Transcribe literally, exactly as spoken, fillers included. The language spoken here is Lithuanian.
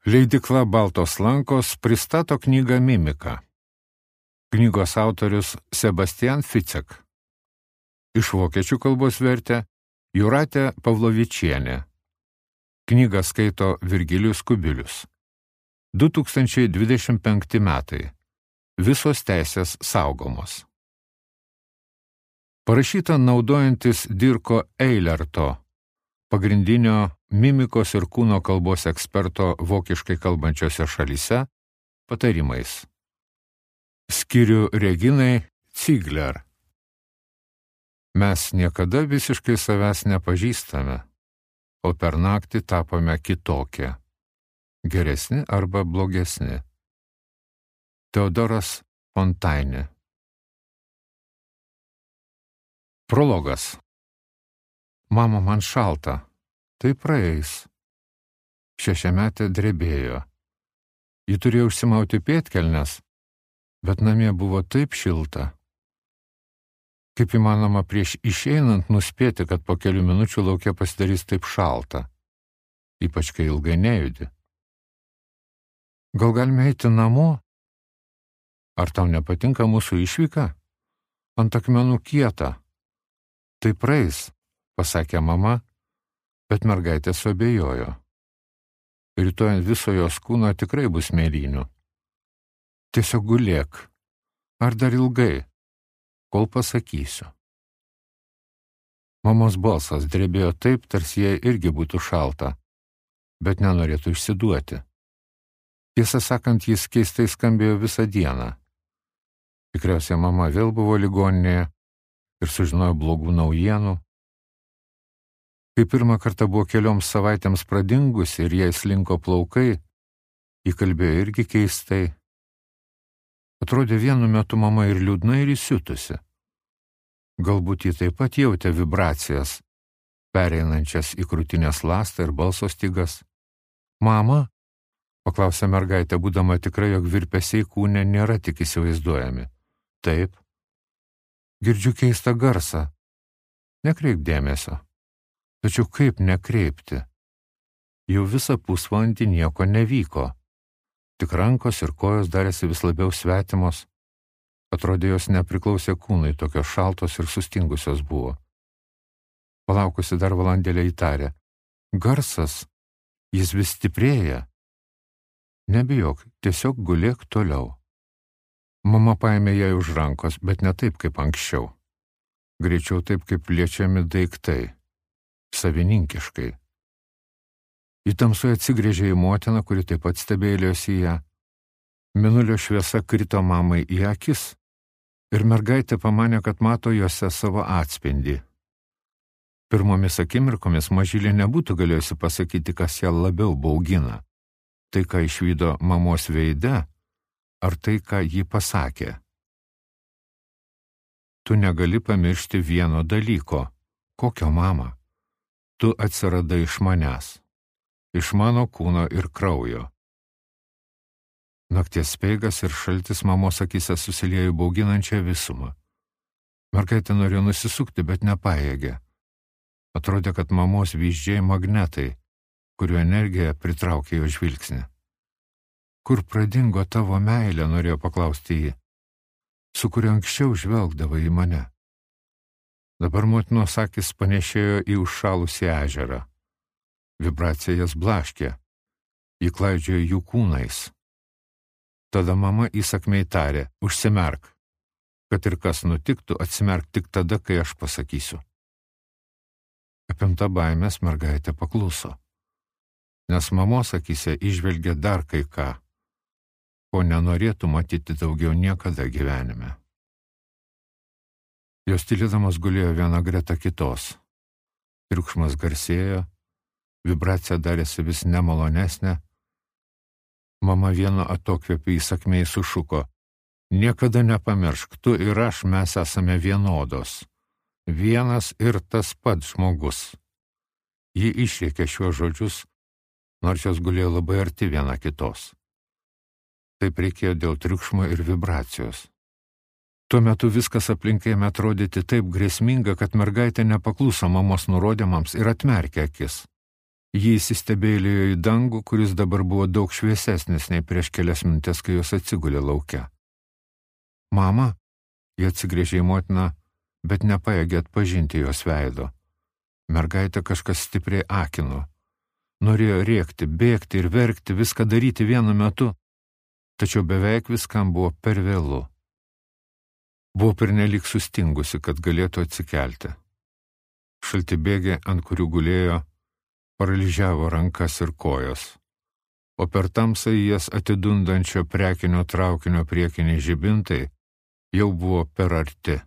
Leidykla Baltos lankos pristato knygą Mimika. Knygos autorius Sebastian Fitzek. Iš vokiečių kalbos vertė Jūratė Pavlovičienė. Knygą skaito Virgilijus Kubilius. du tūkstančiai dvidešimt penkti metai. Visos teisės saugomos. Parašyta naudojantis Dirko Eilerto, pagrindinio mimikos ir kūno kalbos eksperto vokiškai kalbančiose šalyse, patarimais. Skiriu Reginai Ziegler. Mes niekada visiškai savęs nepažįstame, o per naktį tapome kitokie, geresni arba blogesni. Teodoras Fontaine. Prologas. Mama, man šalta. Tai praeis. Šešiametė drebėjo. Ji turėjo užsimauti pėdkelnes, bet namie buvo taip šilta. Kaip įmanoma prieš išeinant nuspėti, kad po kelių minučių lauke pasidarys taip šalta, ypač kai ilgai nejudi. Gal galime eiti namo? Ar tau nepatinka mūsų išvyka? Ant akmenų kieta. Tai praeis, pasakė mama, bet mergaitė suabejojo. Rytoj ant viso jos kūno tikrai bus mėlynių. Tiesiog gulėk. Ar dar ilgai? Kol pasakysiu. Mamos balsas drebėjo taip, tarsi jai irgi būtų šalta, bet nenorėtų išsiduoti. Tiesą sakant, jis keistai skambėjo visą dieną. Tikriausiai mama vėl buvo ligoninėje ir sužinojo blogų naujienų. Kai pirmą kartą buvo kelioms savaitėms pradingusi ir jai slinko plaukai, ji kalbėjo irgi keistai. Atrodė vienu metu mama ir liūdna, ir įsiutusi. Galbūt ji taip pat jautė vibracijas, pereinančias į krūtinės ląstą ir balso stygas. Mama? Paklausė mergaitė, būdama tikrai, jog virpesiai kūne nėra tik įsivaizduojami. Taip. Girdžiu keistą garsą. Nekreip dėmesio. Tačiau kaip nekreipti? Jau visą pusvalandį nieko nevyko. Tik rankos ir kojos darėsi vis labiau svetimos. Atrodė, jos nepriklausė kūnai, tokios šaltos ir sustingusios buvo. Palaukusi dar valandėlę įtarė. Garsas, jis vis stiprėja. Nebijok, tiesiog gulėk toliau. Mama paėmė ją už rankos, bet ne taip kaip anksčiau. Greičiau taip, kaip liečiami daiktai. Savininkiškai. Į tamsoje atsigrėžė į motiną, kuri taip pat stebėlėjosi ją. Mėnulio šviesa krito mamai į akis ir mergaitė pamanė, kad mato juose savo atspindį. Pirmomis akimirkomis mažylė nebūtų galėjusi pasakyti, kas ją labiau baugina. Tai, ką išvydo mamos veide, ar tai, ką ji pasakė. Tu negali pamiršti vieno dalyko. Kokio, mama? Tu atsiradai iš manęs. Iš mano kūno ir kraujo. Nakties speigas ir šaltis mamos akise susiliejo bauginančią visumą. Mergaitė norėjo nusisukti, bet nepajėgė. Atrodė, kad mamos vyzdžiai magnetai, kurių energija pritraukė jo žvilgsnį. Kur pradingo tavo meilė, norėjo paklausti jį, su kuria anksčiau žvelgdavo į mane. Dabar motinos akis panešėjo į užšalusį ežerą. Vibracija jas blaškė, jį klaidžiojo jų kūnais. Tada mama įsakmiai tarė, užsimerk, kad ir kas nutiktų, atsimerk tik tada, kai aš pasakysiu. Apimta baimės mergaitė pakluso, nes mamos akyse įžvelgė dar kai ką, ko nenorėtų matyti daugiau niekada gyvenime. Jos tylėdamas gulėjo viena greta kitos. Triukšmas garsėjo, vibracija darėsi vis nemalonesnė. Mama vieno atokvėpį įsakmiai sušuko. Niekada nepamiršk, tu ir aš mes esame vienodos. Vienas ir tas pats žmogus. Ji išrėkė šiuos žodžius, nors jos gulėjo labai arti viena kitos. Taip reikėjo dėl triukšmo ir vibracijos. Tuo metu viskas aplink ėmė atrodyti taip grėsminga, kad mergaitė nepakluso mamos nurodymams ir atmerkė akis. Ji įsistebėlėjo į dangų, kuris dabar buvo daug šviesesnis nei prieš kelias minutės, kai jos atsigulė lauke. Mama, jie atsigrėžė į motiną, bet nepajėgė atpažinti jos veido. Mergaitę kažkas stipriai akino. Norėjo rėkti, bėgti ir verkti, viską daryti vienu metu, tačiau beveik viskam buvo per vėlu. Buvo pernelyg sustingusi, kad galėtų atsikelti. Šaltibėgiai, ant kurių gulėjo, paralyžiavo rankas ir kojas, o per tamsą į jas atidundančio prekinio traukinio priekiniai žibintai jau buvo per arti.